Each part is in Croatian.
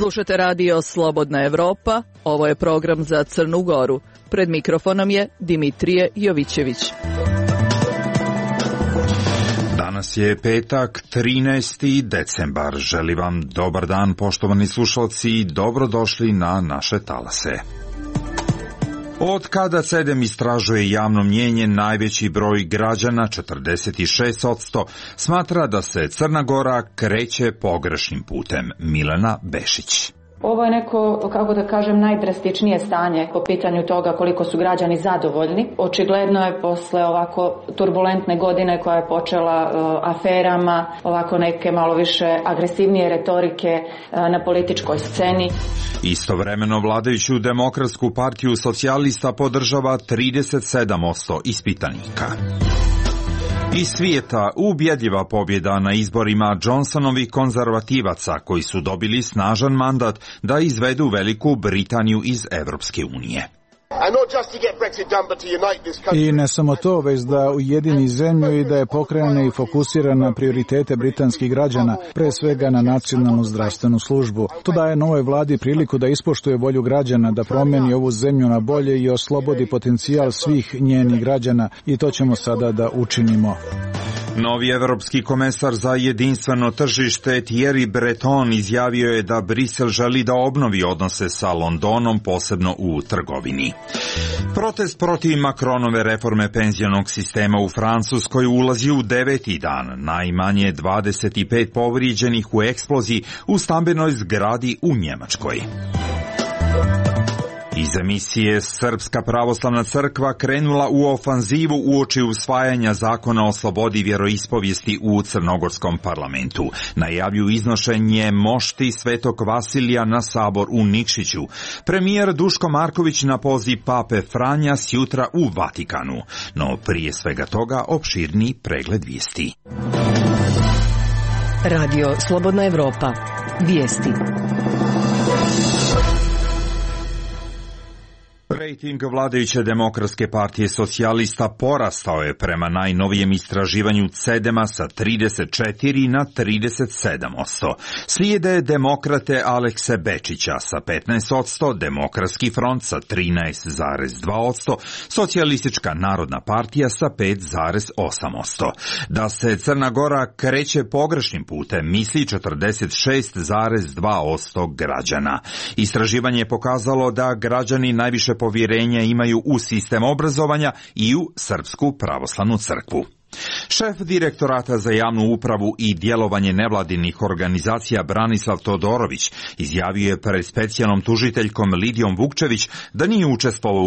Slušate radio Slobodna Evropa, ovo je program za Crnu Goru. Pred mikrofonom je Dimitrije Jovićević. Danas je petak, 13. decembar. Želim vam dobar dan, poštovani slušalci, i dobrodošli na naše talase. Od kada CEDEM istražuje javno mnjenje, najveći broj građana, 46%, smatra da se Crna Gora kreće pogrešnim putem. Milena Bešić. Ovo je neko, kako da kažem, najdrastičnije stanje po pitanju toga koliko su građani zadovoljni. Očigledno je posle ovako turbulentne godine koja je počela aferama, ovako neke malo više agresivnije retorike na političkoj sceni. Istovremeno vladajuću Demokratsku partiju socijalista podržava 37% ispitanika. Iz svijeta ubjedljiva pobjeda na izborima Johnsonovih konzervativaca koji su dobili snažan mandat da izvedu Veliku Britaniju iz Evropske unije. I ne samo to, već da ujedini zemlju i da je pokrene i fokusira na prioritete britanskih građana, pre svega na nacionalnu zdravstvenu službu. To daje novoj vladi priliku da ispoštuje volju građana, da promijeni ovu zemlju na bolje i oslobodi potencijal svih njenih građana, i to ćemo sada da učinimo. Novi evropski komesar za jedinstveno tržište Thierry Breton izjavio je da Brisel želi da obnovi odnose sa Londonom, posebno u trgovini. Protest protiv Macronove reforme penzionog sistema u Francuskoj ulazi u 9. dan. Najmanje 25 povrijeđenih u eksploziji u stambenoj zgradi u Njemačkoj. Iz emisije Srpska pravoslavna crkva krenula u ofanzivu uoči usvajanja zakona o slobodi vjeroispovijesti u crnogorskom parlamentu. Najavljuju iznošenje mošti Svetog Vasilija na sabor u Nikšiću. Premijer Duško Marković na poziv pape Franja sjutra u Vatikanu. No prije svega toga opširni pregled vijesti. Radio Slobodna Evropa. Vijesti. Rejting vladajuće Demokratske partije socijalista porastao je prema najnovijem istraživanju CEDEM-a sa 34 na 37%. Slijede Demokrate Alekse Bečića sa 15%, Demokratski front sa 13,2%, Socijalistička narodna partija sa 5,8%. Da se Crna Gora kreće pogrešnim putem misli 46,2% građana. Istraživanje je pokazalo da građani najviše povjerenja imaju u sistem obrazovanja i u Srpsku pravoslavnu crkvu. Šef direktorata za javnu upravu i djelovanje nevladinih organizacija Branislav Todorović izjavio je pred specijalnom tužiteljkom Lidijom Vukčević da nije učestvovao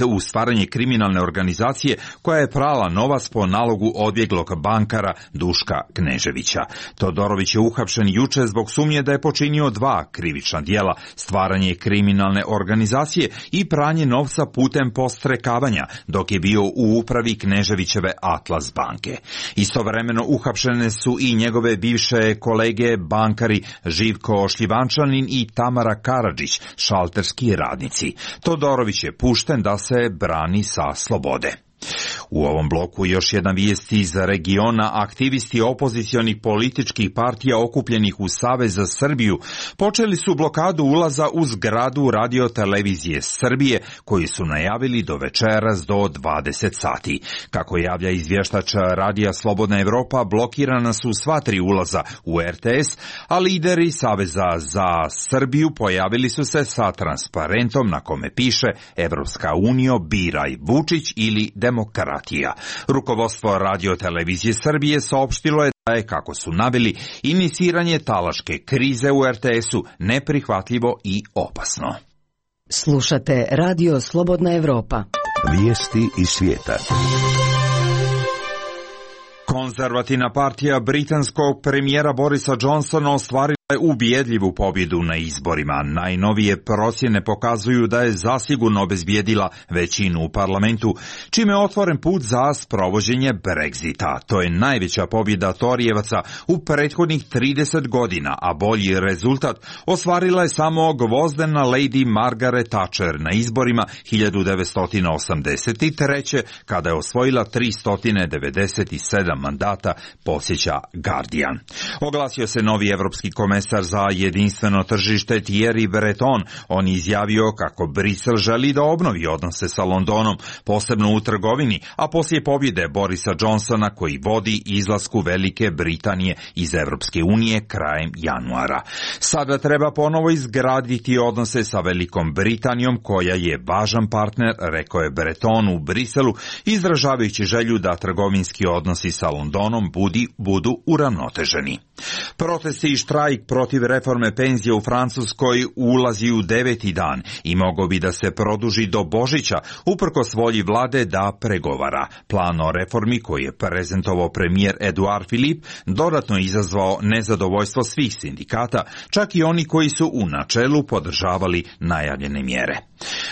u stvaranje kriminalne organizacije koja je prala novac po nalogu odbjeglog bankara Duška Kneževića. Todorović je uhapšen juče zbog sumnje da je počinio 2 krivična djela: stvaranje kriminalne organizacije i pranje novca putem postrekavanja, dok je bio u upravi Kneževićeve Atlas banke. Istovremeno uhapšene su i njegove bivše kolege bankari Živko Šljivančanin i Tamara Karadžić, šalterski radnici. Todorović je pušten da se brani sa slobode. U ovom bloku još jedna vijest iz regiona. Aktivisti opozicionih političkih partija okupljenih u Savez za Srbiju počeli su blokadu ulaza u zgradu Radio-televizije Srbije, koji su najavili do večeras do 20 sati. Kako javlja izvještač Radija Slobodna Evropa, blokirana su sva 3 ulaza u RTS, a lideri Saveza za Srbiju pojavili su se sa transparentom na kome piše Evropska unija, biraj Vučić ili demokratija. Rukovodstvo Radio-televizije Srbije saopštilo je da je, kako su naveli, iniciranje talaške krize u RTS-u neprihvatljivo i opasno. Slušate Radio Slobodna Evropa. Vijesti iz svijeta. Konzervativna partija britanskog premijera Borisa Johnsona ostvarila je ubjedljivu pobjedu na izborima. Najnovije procjene pokazuju da je zasigurno obezbijedila većinu u parlamentu, čime je otvoren put za sprovođenje Brexita. To je najveća pobjeda Torijevaca u prethodnih 30 godina, a bolji rezultat ostvarila je samo gvozdena Lady Margaret Thatcher na izborima 1983. kada je osvojila 397 mandata, podsjeća Guardian. Oglasio se novi evropski komesar komesar za jedinstveno tržište Thierry Breton. On je izjavio kako Brisel želi da obnovi odnose sa Londonom, posebno u trgovini, a poslije pobjede Borisa Johnsona koji vodi izlasku Velike Britanije iz Europske unije krajem januara. Sada treba ponovo izgraditi odnose sa Velikom Britanijom koja je važan partner, rekao je Breton u Briselu, izražavajući želju da trgovinski odnosi sa Londonom budu uravnoteženi. Protesti i štrajk protiv reforme penzije u Francuskoj ulazi u 9. dan i mogao bi da se produži do Božića, uprkos volji vlade da pregovara. Plan o reformi koji je prezentovao premijer Edouard Philippe dodatno izazvao nezadovoljstvo svih sindikata, čak i oni koji su u načelu podržavali najavljene mjere.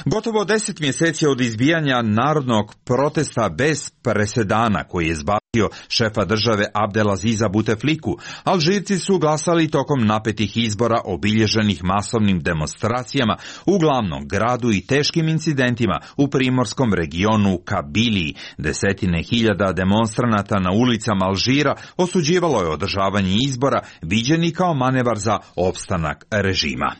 Gotovo 10 mjeseci od izbijanja narodnog protesta bez presedana koji je zbavio šefa države Abdelaziza Boutefliku, Alžirci su glasali tokom napetih izbora obilježenih masovnim demonstracijama u glavnom gradu i teškim incidentima u primorskom regionu Kabiliji. Desetine hiljada demonstranata na ulicama Alžira osuđivalo je održavanje izbora, viđeni kao manevar za opstanak režima.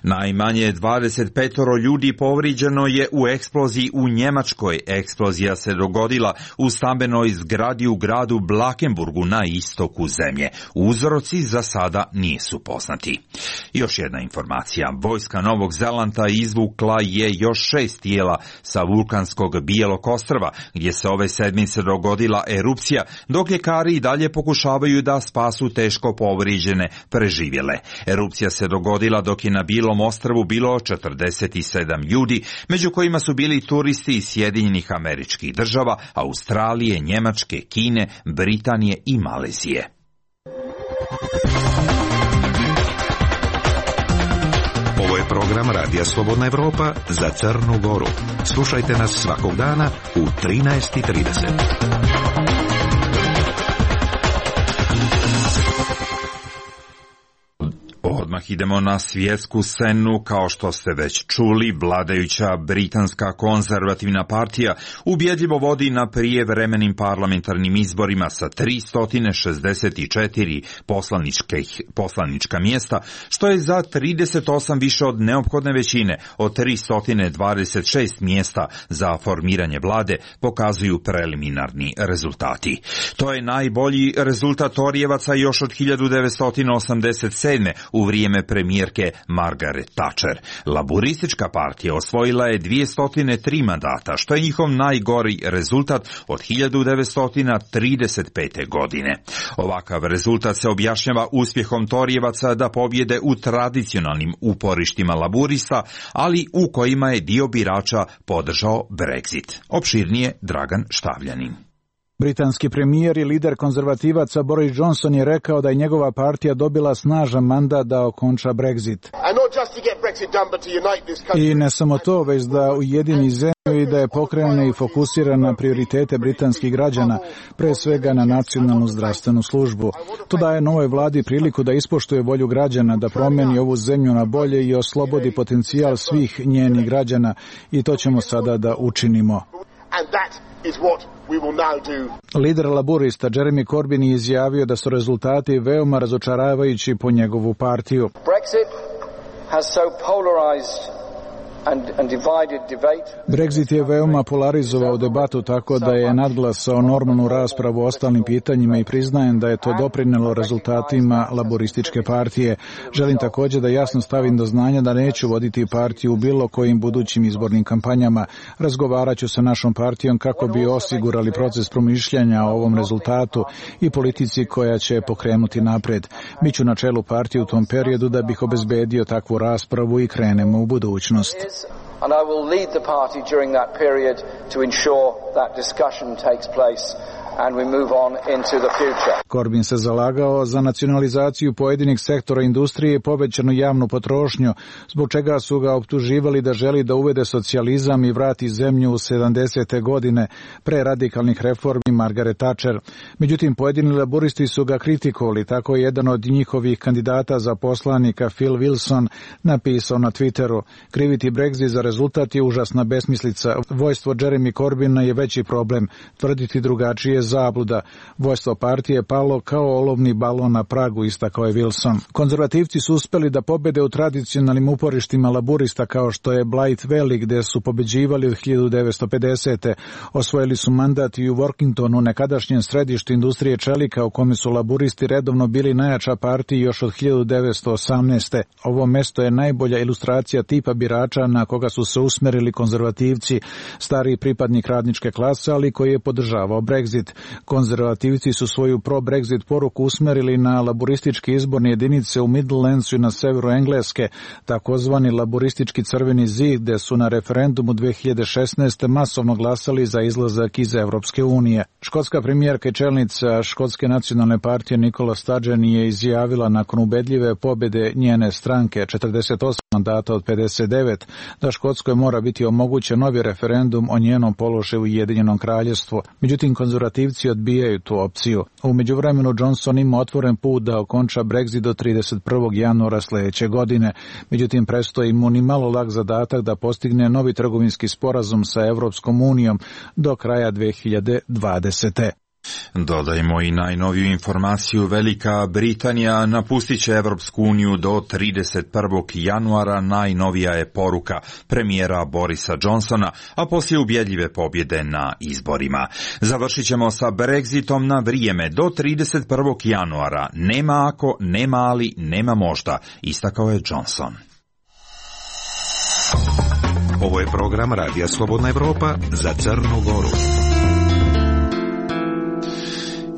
Najmanje 25 ljudi povrijeđeno je u eksploziji u Njemačkoj. Eksplozija se dogodila u stambenoj zgradi u gradu Blankenburgu na istoku zemlje. Uzroci za sada nisu poznati. Još jedna informacija. Vojska Novog Zelanda izvukla je još 6 tijela sa vulkanskog Bijelog ostrva, gdje se ove sedmice dogodila erupcija, dok ljekari i dalje pokušavaju da spasu teško povrijeđene preživjele. Erupcija se dogodila dok je na Bijelom ostrvu bilo 47 ljudi, među kojima su bili turisti iz Sjedinjenih Američkih Država, Australije, Njemačke, Kine, Britanije i Malezije. Ovo je program Radija Slobodna Evropa za Crnu Goru. Slušajte nas svakog dana u 13:30. Odmah idemo na svjetsku scenu. Kao što ste već čuli, vladajuća britanska konzervativna partija ubjedljivo vodi na prijevremenim parlamentarnim izborima sa 364 poslanička mjesta, što je za 38 više od neophodne većine od 326 mjesta za formiranje vlade, pokazuju preliminarni rezultati. To je najbolji rezultat Torijevaca još od 1987. u vrijeme premijerke Margaret Thatcher. Laburistička partija osvojila je 203 mandata, što je njihov najgori rezultat od 1935. godine. Ovakav rezultat se objašnjava uspjehom Torijevaca da pobjede u tradicionalnim uporištima laburista, ali u kojima je dio birača podržao Brexit. Opširnije Dragan Štavljanin. Britanski premijer i lider konzervativaca Boris Johnson je rekao da je njegova partija dobila snažan mandat da okonča Brexit. I ne samo to, već da ujedini zemlju i da je pokrene i fokusira na prioritete britanskih građana, pre svega na nacionalnu zdravstvenu službu. To daje novoj vladi priliku da ispoštuje volju građana, da promijeni ovu zemlju na bolje i oslobodi potencijal svih njenih građana, i to ćemo sada da učinimo. Lider laburista Jeremy Corbyn je izjavio da su rezultati veoma razočaravajući po njegovu partiju. Brexit je veoma polarizovao debatu tako da je nadglasao normalnu raspravu o ostalim pitanjima i priznajem da je to doprinelo rezultatima laborističke partije. Želim također da jasno stavim do znanja da neću voditi partiju u bilo kojim budućim izbornim kampanjama. Razgovarat ću sa našom partijom kako bi osigurali proces promišljanja o ovom rezultatu i politici koja će pokrenuti napred. Biću na čelu partije u tom periodu da bih obezbedio takvu raspravu i krenemo u budućnost. And I will lead the party during that period to ensure that discussion takes place and we move on into the future. Corbyn se zalagao za nacionalizaciju pojedinih sektora industrije i povećanu javnu potrošnju, zbog čega su ga optuživali da želi da uvede socijalizam i vrati zemlju u 70. godine pre radikalnih reformi Margaret Thatcher. Međutim, pojedini laburisti su ga kritikovali, tako je jedan od njihovih kandidata za poslanika Phil Wilson napisao na Twitteru: kriviti Brexit za rezultat je užasna besmislica. Vojstvo Jeremy Corbyna je veći problem. Tvrditi drugačije zabluda. Vođstvo partije je palo kao olovni balon na pragu, istakao je Wilson. Konzervativci su uspeli da pobede u tradicionalnim uporištima laburista kao što je Blythe Valley, gde su pobeđivali od 1950. Osvojili su mandat i u Workingtonu, nekadašnjem središtu industrije čelika, u kome su laburisti redovno bili najjača partija još od 1918. Ovo mesto je najbolja ilustracija tipa birača na koga su se usmerili konzervativci, stariji pripadnik radničke klase, ali koji je podržavao Brexit. Konzervativci su svoju pro-Brexit poruku usmerili na laburističke izborne jedinice u Midlandsu i na severu Engleske, takozvani laburistički crveni zid, gde su na referendumu 2016. masovno glasali za izlazak iz Evropske unije. Škotska premijerka i čelnica Škotske nacionalne partije Nicola Sturgeon je izjavila nakon ubedljive pobjede njene stranke 48 mandata od 59 da Škotskoj mora biti omogućen novi referendum o njenom položaju u Ujedinjenom kraljevstvu. Međutim, konzervativci odbijaju tu opciju. U međuvremenu Johnson ima otvoren put da okonča Brexit do 31. januara sljedeće godine. Međutim, prestoji mu ni malo lak zadatak da postigne novi trgovinski sporazum sa Evropskom unijom do kraja 2020. Dodajmo i najnoviju informaciju. Velika Britanija napustit će Evropsku uniju do 31. januara, najnovija je poruka premijera Borisa Johnsona, a poslije ubjedljive pobjede na izborima. Završit ćemo sa Brexitom na vrijeme do 31. januara. Nema ako, nema ali, nema možda, istakao je Johnson. Ovo je program Radija Slobodna Evropa za Crnu Goru.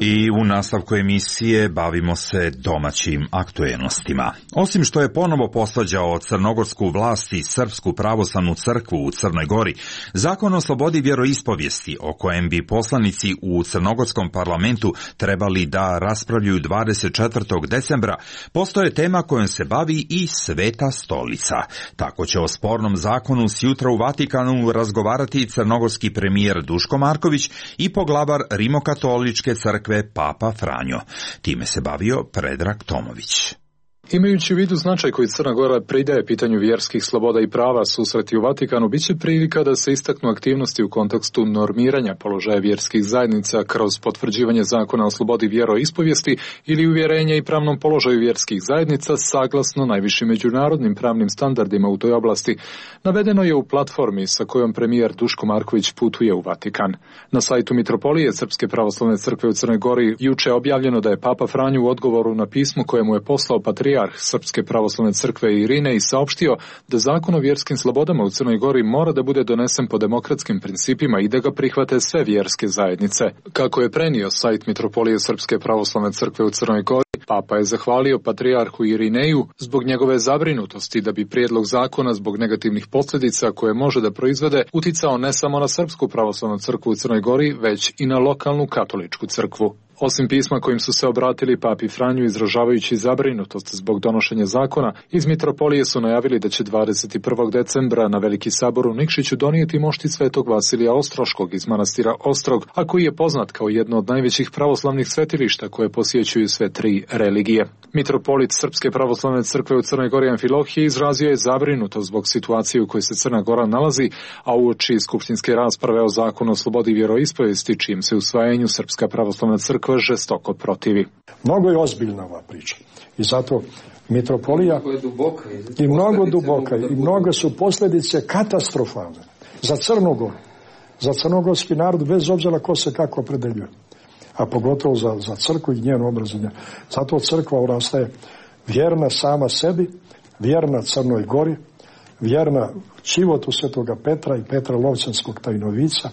I u nastavku emisije bavimo se domaćim aktuelnostima. Osim što je ponovo posvađao crnogorsku vlast i Srpsku pravoslavnu crkvu u Crnoj Gori, Zakon o slobodi vjeroispovijesti, o kojem bi poslanici u crnogorskom parlamentu trebali da raspravljaju 24. decembra, postoje tema kojom se bavi i Sveta stolica. Tako će o spornom zakonu sjutra u Vatikanu razgovarati crnogorski premijer Duško Marković i poglavar Rimokatoličke crkve Papa Franjo. Time se bavio Predrag Tomović. Imajući u vidu značaj koji Crna Gora pridaje pitanju vjerskih sloboda i prava, susreti u Vatikanu biće prilika da se istaknu aktivnosti u kontekstu normiranja položaja vjerskih zajednica kroz potvrđivanje zakona o slobodi vjeroispovijesti ili uvjerenja i pravnom položaju vjerskih zajednica saglasno najvišim međunarodnim pravnim standardima u toj oblasti. Navedeno je u platformi sa kojom premijer Duško Marković putuje u Vatikan. Na sajtu Mitropolije Srpske pravoslavne crkve u Crnoj Gori juče je objavljeno da je Papa Franjo u odgovoru na pismo koje mu je poslao patrijarh Srpske pravoslavne crkve Irinej saopštio da zakon o vjerskim slobodama u Crnoj Gori mora da bude donesen po demokratskim principima i da ga prihvate sve vjerske zajednice. Kako je prenio sajt Mitropolije Srpske pravoslavne crkve u Crnoj Gori, Papa je zahvalio patrijarhu Irineju zbog njegove zabrinutosti da bi prijedlog zakona zbog negativnih posljedica koje može da proizvede uticao ne samo na Srpsku pravoslavnu crkvu u Crnoj Gori, već i na lokalnu katoličku crkvu. Osim pisma kojim su se obratili Papi Franju izražavajući zabrinutost zbog donošenja zakona, iz Mitropolije su najavili da će 21. decembra na Veliki sabor u Nikšiću donijeti mošti svetog Vasilija Ostroškog iz manastira Ostrog, a koji je poznat kao jedno od najvećih pravoslavnih svetilišta koje posjećuju sve tri religije. Mitropolit Srpske pravoslavne crkve u Crnoj Gori Amfilohije izrazio je zabrinutost zbog situacije u kojoj se Crna Gora nalazi, a uoči skupštinske rasprave o zakonu o slobodi vjeroispovijesti, čijem se usvajanju Srpska pravoslavna crkva žestoko protivi. Mnogo je ozbiljna ova priča i zato Mitropolija i mnogo duboka i mnogo su posljedice katastrofalne za Crnu Goru, za crnogorski narod, bez obzira ko se kako opredeljuje, a pogotovo za crkvu i njeno obrazovanje. Zato crkva orastaje vjerna sama sebi, vjerna Crnoj Gori, vjerna životu svetoga Petra i Petra Lovćanskog tajnovica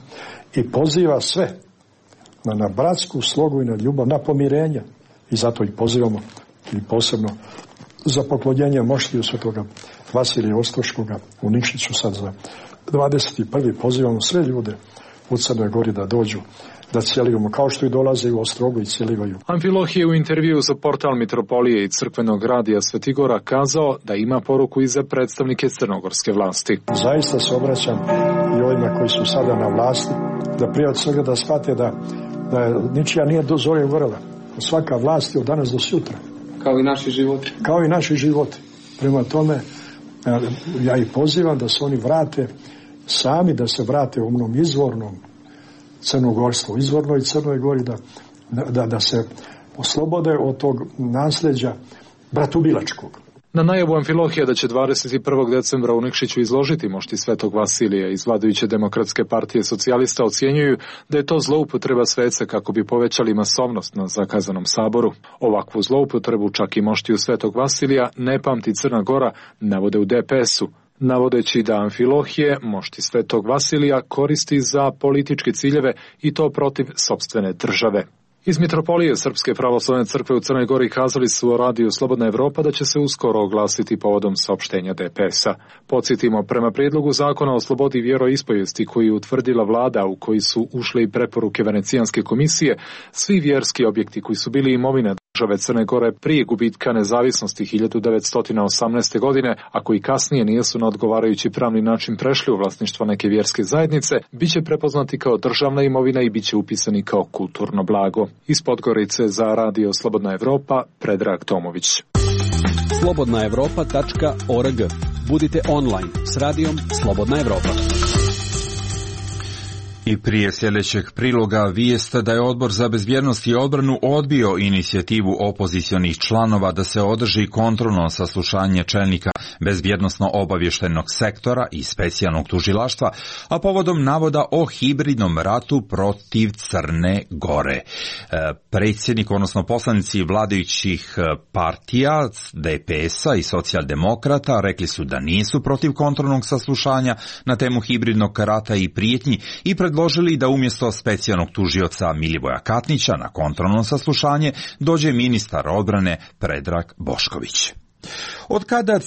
i poziva sve na bratsku slogu i na ljubav, na pomirenje. I zato ih pozivamo i posebno za poklonjenje moštiju svetoga Vasilija Ostroškoga u Nikšiću sad za 21. pozivamo sve ljude u Crnoj Gori da dođu, da cijelimo, kao što i dolaze u Ostrogu i cijelivaju. Amfilohije je u intervju za portal Mitropolije i crkvenog radija Svetigora kazao da ima poruku i za predstavnike crnogorske vlasti. Zaista se obraćam i ovima koji su sada na vlasti, da prije od svega da shvate da ničija nije do zore vrela. Svaka vlast je od danas do sutra. Kao i naši životi. Kao i naši životi. Prema tome, ja ih pozivam da se oni vrate sami, da se vrate u onom izvornom crnogorstvo, izvornoj Crnoj Gori, da se oslobode od tog nasljeđa bratubilačkog. Na najavu Amfilohija da će 21. decembra u Nikšiću izložiti mošti Svetog Vasilija iz vladajuće Demokratske partije socijalista ocjenjuju da je to zloupotreba svece kako bi povećali masovnost na zakazanom saboru. Ovakvu zloupotrebu čak i moštiju Svetog Vasilija ne pamti Crna Gora, navode u DPS-u, navodeći da Amfilohije mošti Svetog Vasilija koristi za političke ciljeve i to protiv sopstvene države. Iz Mitropolije Srpske pravoslavne crkve u Crnoj Gori kazali su o radiju Slobodna Evropa da će se uskoro oglasiti povodom saopštenja DPS-a. Podsjetimo, prema prijedlogu zakona o slobodi vjeroispovijesti koji je utvrdila vlada u koji su ušle i preporuke Venecijanske komisije, svi vjerski objekti koji su bili imovina države Crne Gore prije gubitka nezavisnosti 1918. godine, a koji kasnije nisu na odgovarajući pravni način prešli u vlasništvo neke vjerske zajednice, bit će prepoznati kao državna imovina i bit će upisani kao kulturno blago. Iz Podgorice za radio Slobodna Evropa, Predrag Tomović. slobodnaevropa.org. Budite online s radijom Slobodna Evropa. I prije sljedećeg priloga vijest da je Odbor za bezbjednost i odbranu odbio inicijativu opozicionih članova da se održi kontrolno saslušanje čelnika bezbjednosno-obavještajnog sektora i specijalnog tužilaštva, a povodom navoda o hibridnom ratu protiv Crne Gore. Predsjednik, odnosno poslanici vladajućih partija, DPS-a i socijaldemokrata, rekli su da nisu protiv kontrolnog saslušanja na temu hibridnog rata i prijetnji i predložili da umjesto specijalnog tužioca Milivoja Katnića na kontrolno saslušanje dođe ministar odbrane Predrag Bošković. Od kada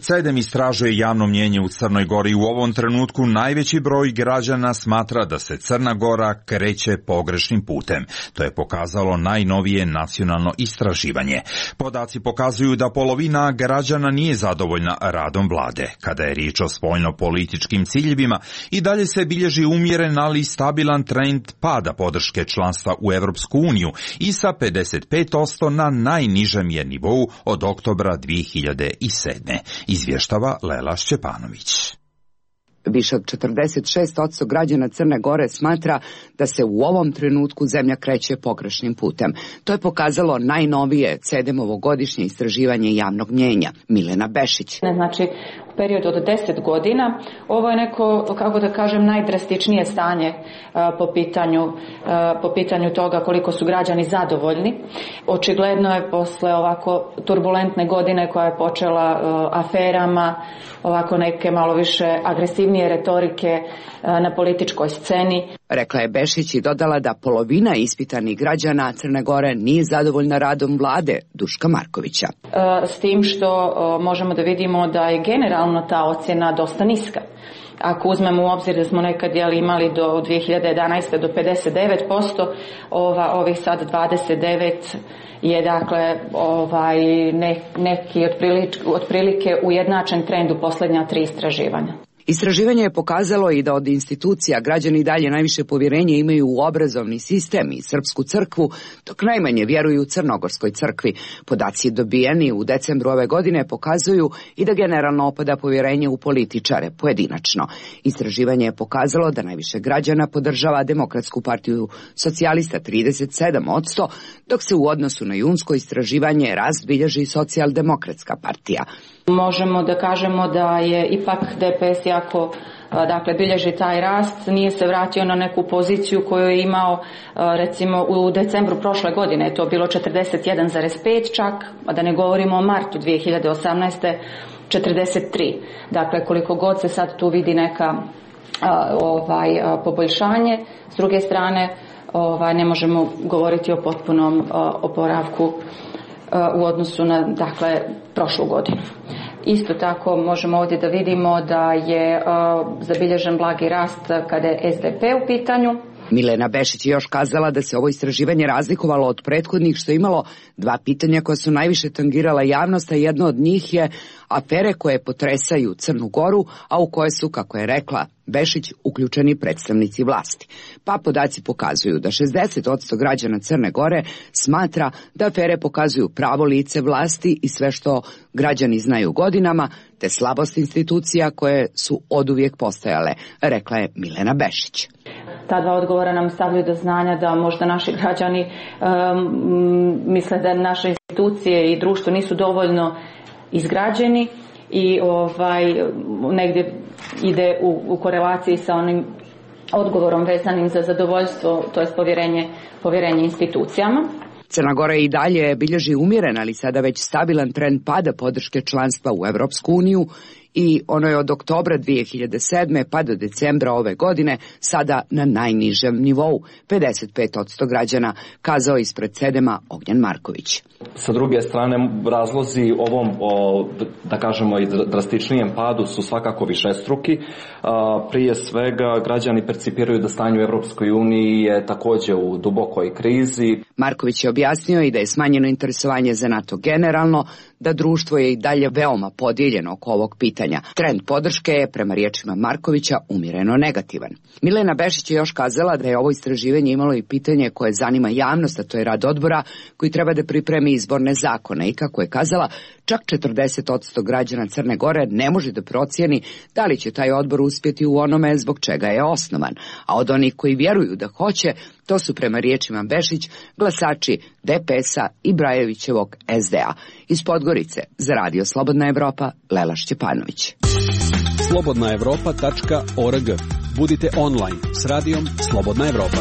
CEDEM istražuje javno mnijenje u Crnoj Gori, u ovom trenutku najveći broj građana smatra da se Crna Gora kreće pogrešnim putem. To je pokazalo najnovije nacionalno istraživanje. Podaci pokazuju da polovina građana nije zadovoljna radom vlade. Kada je riječ o spoljno-političkim ciljevima, i dalje se bilježi umjeren, ali stabilan trend pada podrške članstva u Europsku uniju i sa 55% na najnižem je nivou od oktobra 2007. Izvještava Lela Šćepanović. Više od 46% građana Crne Gore smatra da se u ovom trenutku zemlja kreće pogrešnim putem. To je pokazalo najnovije CEDEM-ovo godišnje istraživanje javnog mnijenja. Milena Bešić. Znači, u periodu od 10 godina ovo je neko, kako da kažem, najdrastičnije stanje po pitanju toga koliko su građani zadovoljni. Očigledno je posle ovako turbulentne godine koja je počela aferama, ovako neke malo više agresivnije retorike na političkoj sceni. Rekla je Bešić i dodala da polovina ispitanih građana Crne Gore nije zadovoljna radom vlade Duška Markovića. S tim što možemo da vidimo da je generalno ta ocjena dosta niska. Ako uzmemo u obzir da smo nekad imali do 2011. do 59%, ovih sad 29% je dakle neki otprilike ujednačen trend u posljednja 3 istraživanja. Istraživanje je pokazalo i da od institucija građani dalje najviše povjerenje imaju u obrazovni sistem i Srpsku crkvu, dok najmanje vjeruju u Crnogorskoj crkvi. Podaci dobijeni u decembru ove godine pokazuju i da generalno opada povjerenje u političare pojedinačno. Istraživanje je pokazalo da najviše građana podržava Demokratsku partiju socijalista 37%, dok se u odnosu na junsko istraživanje rast bilježi Socijaldemokratska partija. Možemo da kažemo da je ipak DPS jako, bilježi taj rast, nije se vratio na neku poziciju koju je imao recimo u decembru prošle godine, je to bilo 41,5 čak, a da ne govorimo o martu 2018. 43. Dakle, koliko god se sad tu vidi neka poboljšanje, s druge strane ne možemo govoriti o potpunom oporavku u odnosu na prošlu godinu. Isto tako možemo ovdje da vidimo da je zabilježen blagi rast kada je SDP u pitanju. Milena Bešić je još kazala da se ovo istraživanje razlikovalo od prethodnih, što je imalo 2 pitanja koja su najviše tangirala javnost, a jedno od njih je afere koje potresaju Crnu Goru, a u koje su, kako je rekla Bešić, uključeni predstavnici vlasti. Pa podaci pokazuju da 60% građana Crne Gore smatra da afere pokazuju pravo lice vlasti i sve što građani znaju godinama, te slabost institucija koje su oduvijek postojale, rekla je Milena Bešić. ta dva odgovora nam stavljaju do znanja da možda naši građani misle da naše institucije i društvo nisu dovoljno izgrađeni i negdje ide u korelaciji sa onim odgovorom vezanim za zadovoljstvo, to je povjerenje institucijama. Crna Gora i dalje bilježi umjeren, ali sada već stabilan trend pada podrške članstva u Evropsku uniju i ono je od oktobra 2007. pa do decembra ove godine sada na najnižem nivou, 55% građana, kazao ispred Sedema Ognjen Marković. Sa druge strane, razlozi ovom, da kažemo, i drastičnijem padu su svakako višestruki. Prije svega, građani percipiraju da stanje u Evropskoj uniji je također u dubokoj krizi. Marković je objasnio i da je smanjeno interesovanje za NATO generalno, da društvo je i dalje veoma podijeljeno oko ovog pitanja. Trend podrške je, prema riječima Markovića, umjereno negativan. Milena Bešić je još kazala da je ovo istraživanje imalo i pitanje koje zanima javnost, a to je rad odbora koji treba da pripremi izborne zakone i, kako je kazala, čak 40% građana Crne Gore ne može da procijeni da li će taj odbor uspjeti u onome zbog čega je osnovan, a od onih koji vjeruju da hoće, to su, prema riječima Bešić, glasači DPS-a i Brajevićevog SDA. Iz Podgorice za Radio Slobodna Evropa, Lela Šćepanović. slobodnaevropa.org. Budite online s radijom Slobodna Evropa.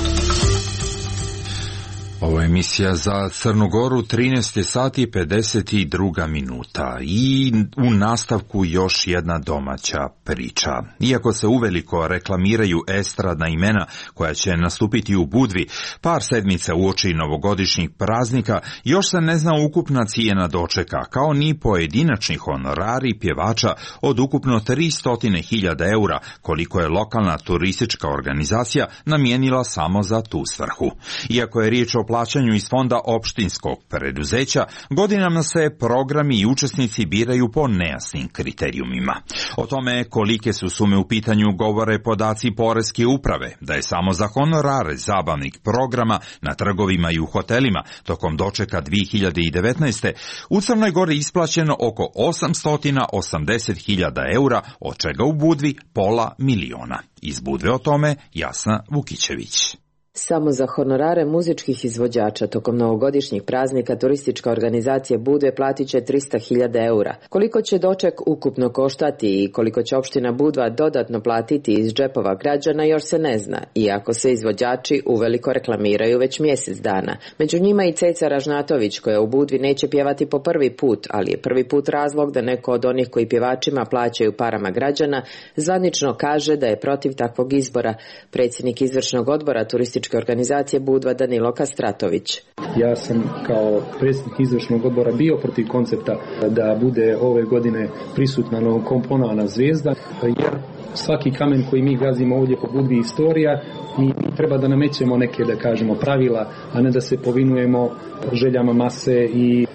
Ovo je emisija za Crnu Goru, 13 sati 52 minuta i u nastavku još jedna domaća priča. Iako se uveliko reklamiraju estradna imena koja će nastupiti u Budvi, par sedmica uoči novogodišnjih praznika, još se ne zna ukupna cijena dočeka, kao ni pojedinačni honorari pjevača od ukupno 300.000 eura, koliko je lokalna turistička organizacija namijenila samo za tu svrhu. Iako je riječ o plaćanju iz fonda opštinskog preduzeća, godinama se programi i učesnici biraju po nejasnim kriterijumima. O tome kolike su sume u pitanju govore podaci Poreske uprave, da je samo za honorare zabavnih programa na trgovima i u hotelima tokom dočeka 2019. u Crnoj Gori isplaćeno oko 880.000 eura, od čega u Budvi pola miliona. Iz Budve o tome Jasna Vukićević. Samo za honorare muzičkih izvođača tokom novogodišnjih praznika turistička organizacija Budve platit će 300.000 eura. Koliko će doček ukupno koštati i koliko će opština Budva dodatno platiti iz džepova građana još se ne zna, iako se izvođači uveliko reklamiraju već mjesec dana. Među njima i Ceca Ražnatović, koja u Budvi neće pjevati po prvi put, ali je prvi put razlog da neko od onih koji pjevačima plaćaju parama građana zvanično kaže da je protiv takvog izbora. Predsjednik izvršnog odbora turističke organizacije Budva Danilo Kastratović. Ja sam kao predsjednik izvršnog odbora bio protiv koncepta da bude ove godine prisutna novokomponovana zvijezda, jer svaki kamen koji mi gazimo ovdje po Budvi istorija, mi treba da namećemo neke, da kažemo, pravila, a ne da se povinujemo željama mase i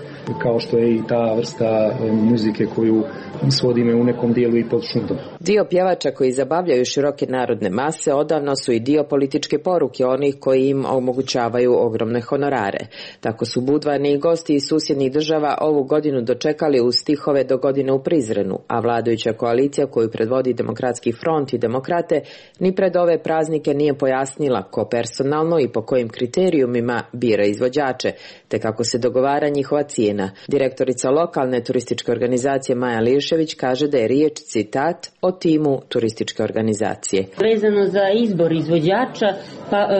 kao što je i ta vrsta muzike koju svodime u nekom dijelu i pod šundom. Dio pjevača koji zabavljaju široke narodne mase odavno su i dio političke poruke onih koji im omogućavaju ogromne honorare. Tako su budvani i gosti iz susjednih država ovu godinu dočekali uz stihove Do godine u Prizrenu, a vladajuća koalicija koju predvodi Demokratski front i Demokrate ni pred ove praznike nije pojasnila ko personalno i po kojim kriterijumima bira izvođače, te kako se dogovara njihova cijena. Direktorica lokalne turističke organizacije Maja Lišević kaže da je riječ, citat, o timu turističke organizacije. Vezano za izbor izvođača,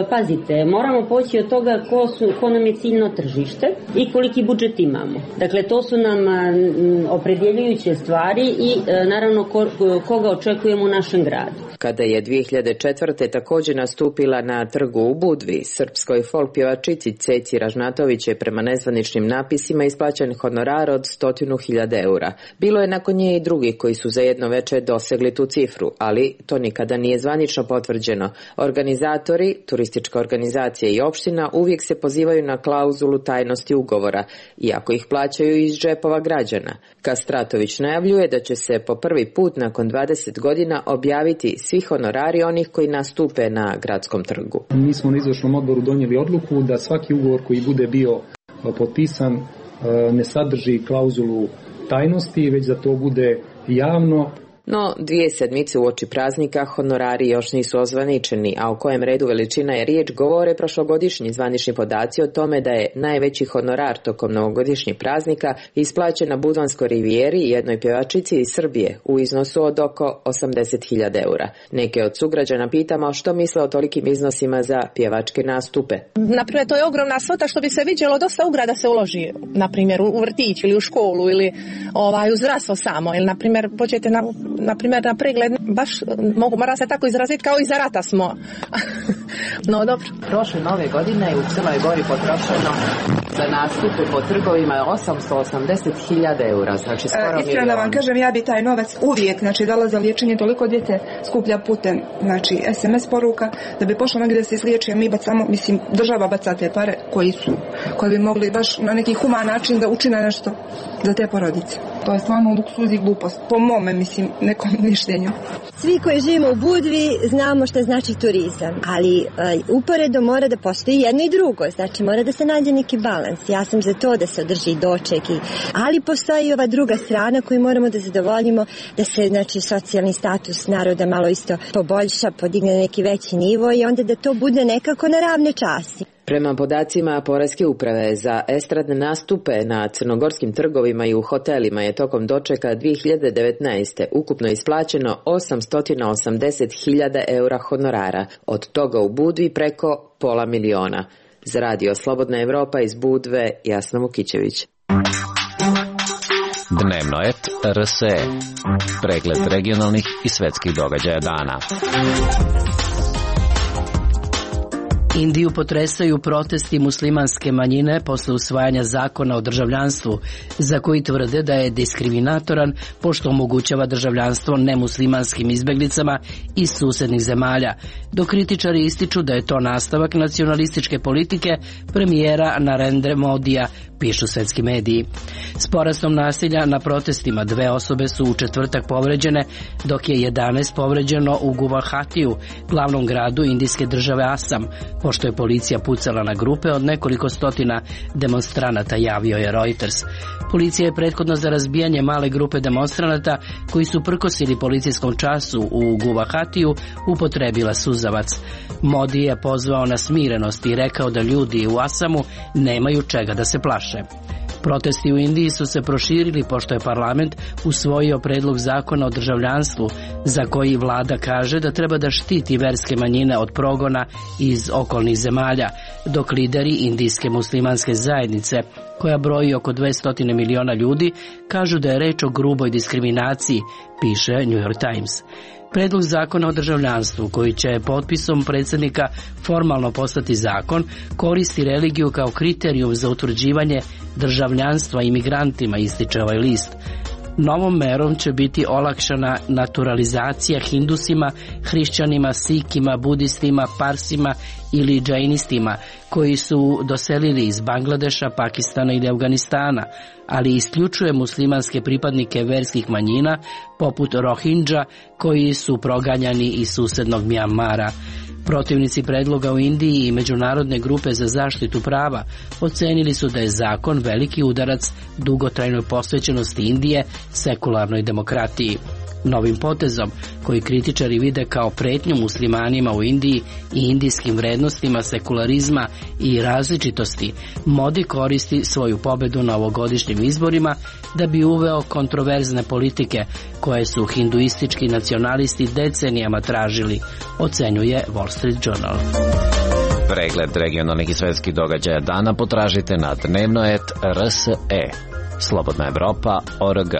pazite, moramo poći od toga ko nam je ciljno tržište i koliki budžet imamo. Dakle, to su nam opredjeljujuće stvari i naravno koga očekujemo u našem gradu. Kada je 2004. također nastupila na trgu u Budvi, srpskoj folk pjevačici Ceci Ražnatović je prema nezvaničnim napisima isplaćen honorar od 100.000 eura. Bilo je nakon nje i drugi koji su za jedno večer dosegli tu cifru, ali to nikada nije zvanično potvrđeno. Organizatori, turistička organizacija i opština uvijek se pozivaju na klauzulu tajnosti ugovora, iako ih plaćaju iz džepova građana. Kastratović najavljuje da će se po prvi put nakon 20 godina objaviti svi honorari onih koji nastupe na gradskom trgu. Mi smo na izvršnom odboru donijeli odluku da svaki ugovor koji bude bio potpisan ne sadrži klauzulu tajnosti, već da to bude javno No, 2 sedmice uoči praznika honorari još nisu ozvaničeni, a o kojem redu veličina je riječ govore prošlogodišnji zvanični podaci o tome da je najveći honorar tokom novogodišnjih praznika isplaćen na Budvanskoj rivijeri i jednoj pjevačici iz Srbije u iznosu od oko 80.000 eura. Neke od sugrađana pitamo što misle o tolikim iznosima za pjevačke nastupe. Naprimjer, to je ogromna svota što bi se vidjelo, dosta ugrada se uloži, naprimjer, u vrtić ili u školu ili u zdravstvo samo. Ili, naprimjer, pođete na pregled, baš mora se tako izraziti kao i za rata smo. No, dobro. Prošle nove godine je u Crnoj Gori potrošeno za nastupe po trgovima 880.000 eura, znači skoro milion. Iskreno da vam kažem, ja bi taj novac uvijek, dala za liječenje, toliko djece skuplja putem, SMS poruka, da bi pošlo negdje da se izliječi, a mi bacamo, država baca te pare koji bi mogli baš na neki human način da učine nešto za te porodice. To je stvarno luksuz i glupost, po mome, nekom mišljenju. Svi koji živimo u Budvi znamo što znači turizam, ali uporedo mora da postoji jedno i drugo, znači mora da se nađe neki balans. Ja sam za to da se održi doček, ali postoji i ova druga strana koju moramo da zadovoljimo, da se socijalni status naroda malo isto poboljša, podigne na neki veći nivo i onda da to bude nekako na ravne časti. Prema podacima Poreske uprave za estradne nastupe na crnogorskim trgovima i u hotelima je tokom dočeka 2019. ukupno isplaćeno 880.000 eura honorara, od toga u Budvi preko $500.000. Za Radio Slobodna Evropa iz Budve, Jasna Vukićević. Dnevno et RSE. Pregled regionalnih i svetskih događaja dana. Indiju potresaju protesti muslimanske manjine posle usvajanja zakona o državljanstvu, za koji tvrde da je diskriminatoran pošto omogućava državljanstvo nemuslimanskim izbeglicama iz susednih zemalja, dok kritičari ističu da je to nastavak nacionalističke politike premijera Narendra Modija, pišu svetski mediji. S porastom nasilja na protestima 2 osobe su u četvrtak povređene, dok je 11 povređeno u Guvahatiju, glavnom gradu indijske države Asam, pošto je policija pucala na grupe od nekoliko stotina demonstranata, javio je Reuters. Policija je prethodno za razbijanje male grupe demonstranata koji su prkosili policijskom času u Guvahatiju upotrebila suzavac. Modi je pozvao na smirenost i rekao da ljudi u Asamu nemaju čega da se plaše. Protesti u Indiji su se proširili pošto je parlament usvojio predlog zakona o državljanstvu, za koji vlada kaže da treba da štiti verske manjine od progona iz okolnih zemalja, dok lideri indijske muslimanske zajednice, koja broji oko 200 miliona ljudi, kažu da je reč o gruboj diskriminaciji, piše New York Times. Predlog zakona o državljanstvu, koji će potpisom predsjednika formalno postati zakon, koristi religiju kao kriterijum za utvrđivanje državljanstva imigrantima, ističe ovaj list. Novom merom će biti olakšana naturalizacija hindusima, hrišćanima, sikima, budistima, parsima ili džainistima koji su doselili iz Bangladeša, Pakistana ili Afganistana, ali isključuje muslimanske pripadnike verskih manjina poput Rohingya koji su proganjani iz susednog Mjanmara. Protivnici predloga u Indiji i međunarodne grupe za zaštitu prava ocenili su da je zakon veliki udarac dugotrajnoj posvećenosti Indije sekularnoj demokratiji. Novim potezom, koji kritičari vide kao pretnju muslimanima u Indiji i indijskim vrednostima sekularizma i različitosti, Modi koristi svoju pobedu na ovogodišnjim izborima da bi uveo kontroverzne politike koje su hinduistički nacionalisti decenijama tražili, ocenjuje Wall Street Journal. Pregled regionalnih i svetskih događaja dana potražite na dnevnoet.rse. Slobodna Evropa.org.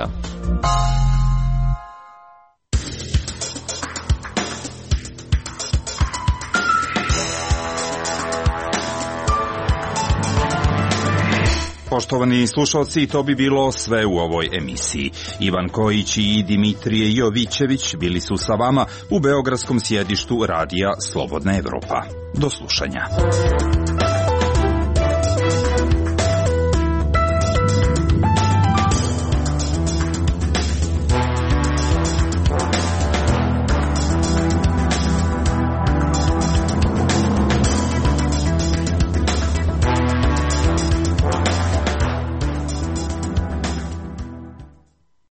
Poštovani slušalci, to bi bilo sve u ovoj emisiji. Ivan Kojić i Dimitrije Jovićević bili su sa vama u beogradskom sjedištu Radija Slobodna Evropa. Do slušanja.